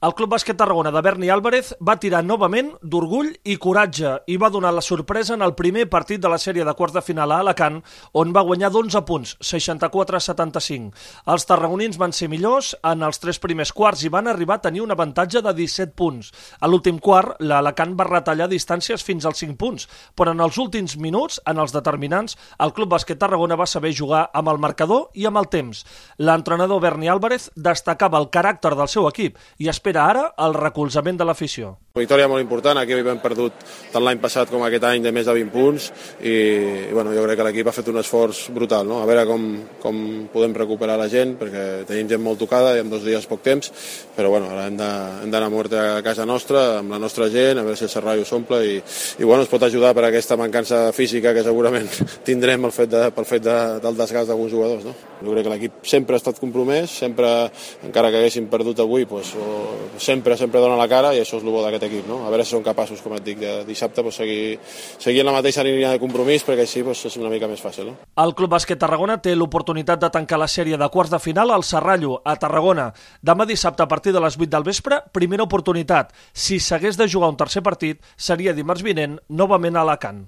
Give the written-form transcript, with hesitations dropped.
El Club Bàsquet Tarragona de Berni Álvarez va tirar novament d'orgull i coratge i va donar la sorpresa en el primer partit de la sèrie de quarts de final a Alacant, on va guanyar d'11 punts, 64-75. Els tarragonins van ser millors en els 3 primers quarts i van arribar a tenir un avantatge de 17 punts. A l'últim quart, l'Alacant va retallar distàncies fins als 5 punts, però en els últims minuts, en els determinants, el Club Bàsquet Tarragona va saber jugar amb el marcador i amb el temps. L'entrenador Berni Álvarez destacava el caràcter del seu equip i espera ara el recolzament de l'afició. Victòria molt important, aquí hem perdut tant l'any passat com aquest any de més de 20 punts i bueno, jo crec que l'equip ha fet un esforç brutal, no? A veure com podem recuperar la gent, perquè tenim gent molt tocada i en 2 dies poc temps, però bueno, ara hem d'anar a muerte a casa nostra, amb la nostra gent, a veure si el Serrallo s'omple i bueno, es pot ajudar per aquesta mancança física que segurament tindrem pel fet del desgast d'alguns jugadors, no? Jo crec que l'equip sempre ha estat compromès, sempre, encara que haguéssim perdut avui, doncs, sempre dona la cara i això és el bo d'aquest equip, no? A veure si són capaços, com et dic, de dissabte seguir en la mateixa línia de compromís, perquè així és una mica més fàcil, no? El Club Bàsquet Tarragona té l'oportunitat de tancar la sèrie de quarts de final al Serrallo, a Tarragona. Demà dissabte a partir de les 8 del vespre, primera oportunitat. Si s'hagués de jugar un tercer partit, seria dimarts vinent, novament a Alacant.